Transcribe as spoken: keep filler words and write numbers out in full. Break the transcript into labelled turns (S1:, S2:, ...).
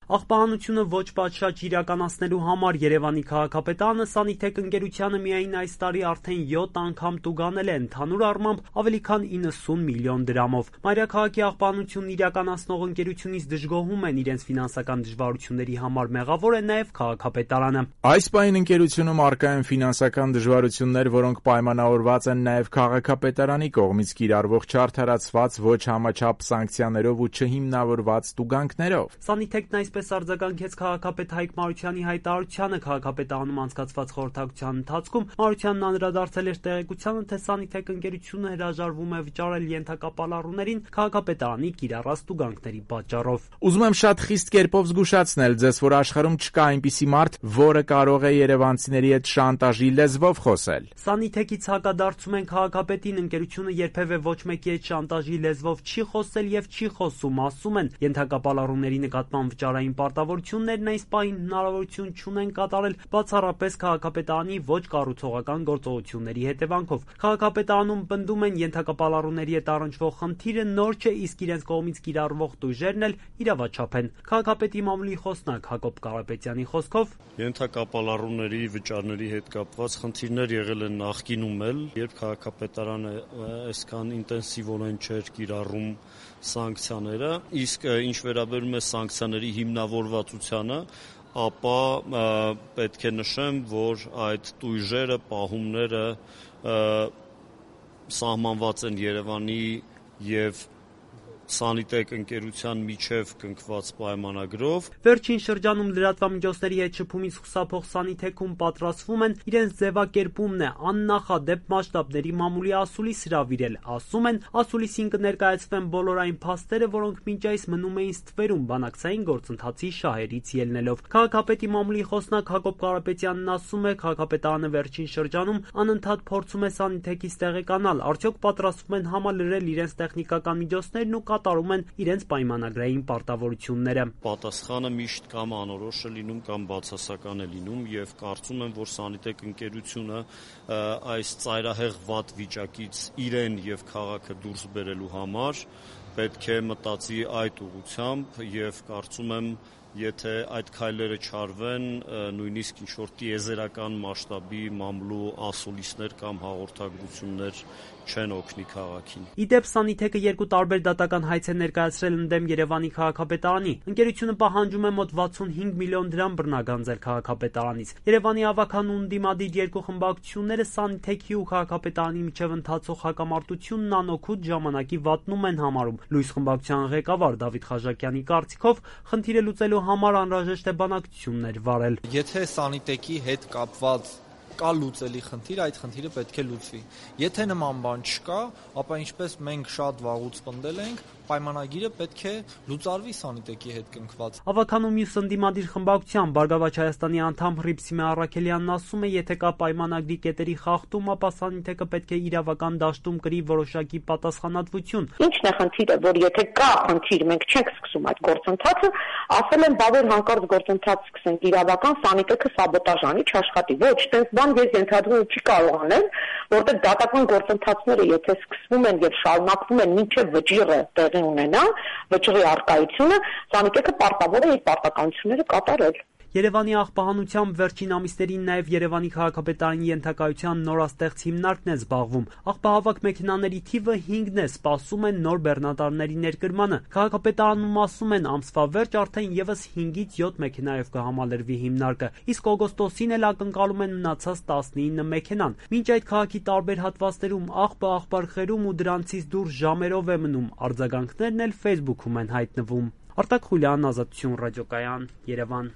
S1: Աղբահանությունը ոչ պատշաճ իրականացնելու համար Երևանի քաղաքապետարանը Սանիթեք ընկերությանը միայն այս տարի արդեն յոթ անգամ տուգանել է ընդհանուր առմամբ ավելի քան իննսուն միլիոն դրամով։ Մայրաքաղաքի աղբահանությունն իրականացնող ընկերությունից դժգոհում են իրենց ֆինանսական դժվարությունների համար մեղավոր է նաև քաղաքապետարանը։
S2: Այս պահին ընկերությունում առկա են ֆինանսական դժվարություններ, որոնք պայմանավորված են նաև քաղաքապետարանի կողմից կիրառվող չարդարացված ոչ համաչափ սանկցիաներով ու չհիմնավորված տուգանքներով։
S1: Սանիթեկն այսպես արձագանքեց քաղաքապետ Հայկ Մարությանի հայտարարությանը քաղաքապետարանում անցկացված խորհրդակցության ընթացքում։ Մարությանն անդրադարձել էր տեղեկությանը, թե Սանիթեք ընկերությունը հրաժարվում է վճարել ենթակապալառուներին քաղաքապետարանի կիրառած տուգանքների պատճառով։
S2: Ուզում եմ շատ խիստ կերպով զգուշացնել ձեզ, որ աշխարհում չկա այնպիսի մարդ, որը կարող է երևանցիների հետ շանտաժի լեզվով խոսել։
S1: Սանիթեկից հակադարձում են քաղաքապետին, ընկերությունը երբևէ ոչ մեկի հետ շանտաժի լեզվով չի խոսել եւ չի խոսում, ասում են։ Ենթակապալառուների նկատմամբ վճարային պարտավորություններն այս պահին հնարավորություն չունեն կատարել բացառապես քաղաքապետարանի ոչ կառուցողական գործողությունների հետևանքով։ Քաղաքապետարանում պնդում են ենթակապալառուների հետ առնչվող խնդիրը նոր չէ, իսկ իրենց կողմից կիրառվող տույժերն էլ իրավաչափ են։ Քաղաքապետի մամուլի խոսնակ Հակոբ Կարապետյանի խոսքով
S3: ենթակապալառուների վճարների հետ կապված խնդիրներ եղել են նախկինում էլ, երբ քաղաքապետարանը այսքան ինտենսիվորեն չէր կիրառում սանկցիաները, իսկ ինչ վերաբերում է սանկցիաների հիմնավորվածությանը, ապա պետք է նշեմ, որ այդ տույժերը, պահումները սահմանված են Երևանի և Սանիթեք ընկերության միջև կնքված պայմանագրով։
S1: Վերջին շրջանում լրատվամիջոցների հետ շփումից խուսափող Սանիթեքում պատրաստվում են իրենց ձևակերպումն է աննախադեպ մասշտաբների մամուլի ասուլիս հրավիրել։ Ասում են, ասուլիսին կներկայացվեն բոլոր այն փաստերը, որոնք մինչ այս մնում էին ստվերում բանակցային գործընթացի շահերից ելնելով։ Քաղաքապետի մամուլի խոսնակ Հակոբ Կարապետյանն ասում է, քաղաքապետարանը վերջին շրջանում անընդհատ փորձում է Սանիթեկից տեղեկանալ, արդյոք պատրաստվում են համալրել իրենց տեխնիկական միջոցներն ու կատարում են իրենց պայմանագրային պարտավորությունները։
S3: Պատասխանը միշտ կամ անորոշ է լինում, կամ բացասական է լինում, եւ կարծում եմ, որ Սանիթեք ընկերությունը այս ծայրահեղ վատ վիճակից իրեն եւ քաղաքը դուրս բերելու համար պետք է մտածի այդ ուղղությամբ եւ կարծում եմ, եթե այդ քայլերը չարվեն, նույնիսկ ինչ-որ տիեզերական մասշտաբի մամուլու ասուլիսներ կամ հաղորդագրություններ չեն օգնի քաղաքին։
S1: Իդեպ Սանիթեկը երկու տարբեր դատական հայց է ներկայացրել ընդդեմ Երևանի քաղաքապետարանի։ Ընկերությունը պահանջում է մոտ վաթսունհինգ միլիոն դրամ բռնագանձել քաղաքապետարանից։ Երևանի ավագանու ընդդիմադիր երկու խմբակցությունները Սանիթեքի ու քաղաքապետարանի միջև ընթացող հակամարտությունն անօգուտ ժամանակի վատնում են համարում։ Լույս խմբակցության ղեկավար Դավիթ Խաժակյանի կարծիքով խնդիրը լուծելու համար անհրաժեշտ է բանակցություններ վարել։
S4: Եթե Սանիթեկի հետ կապված կա լուծելի խնդիր, այդ խնդիրը պետք է լուծվի։ Եթե նման բան չկա, ապա ինչպես մենք շատ վաղուց պնդել ենք, պայմանագիրը պետք է լուծարվի Սանիթեկի հետ կնքված։
S1: Ավագանու մյուս ընդդիմադիր խմբակցության Բարգավաճ Հայաստանի անդամ Հռիփսիմե Առաքելյանն ասում է, եթե կա պայմանագրի կետերի խախտում, ապա Սանիթեկը պետք է իրավական դաշտում կրի որոշակի պատասխանատվություն։
S5: Ինչն է խնդիրը, որ եթե կա խնդիր, մենք չենք սկսում այդ գործընթացը, ասել են, բա որ հանկարծ գործընթաց սկսենք, իրավական Սանիթեկը սաբոտաժ անի, չաշխատի։ Ոչ, տենց բան ես ենթադրում չի կարող անել, որտեղ դատական գործընթացները եթե սկսվում են եւ շարունակվում են մինչեւ վճիռը տեղի ունենա, վճռի արկայությունը, Սանիթեկը պարտավոր է իր պարտականությունները կատարել։
S1: Երևանի աղբահանությամբ վերջին ամիսներին նաև Երևանի քաղաքապետարանի ենթակայության նորաստեղծ հիմնարկն է զբաղվում։ Աղբահավաք մեքենաների թիվը հինգն է, սպասում են նոր բեռնատարների ներկրմանը։ Քաղաքապետարանում ասում են, ամսվա վերջ արդեն եւս հինգից յոթ մեքենայով կհամալրվի հիմնարկը, իսկ օգոստոսին էլ ակնկալում են մնացած տասնինը մեքենան։ Մինչ այդ քաղաքի տարբեր հատվածներում աղբը աղբարխերում ու դրանցից դուրս ժամերով է մնում։ Արձագանքներն էլ Facebook-ում են հայտնվում։ Արտակ Խուլյան, Ազատություն ռադիոկայան, Երևան։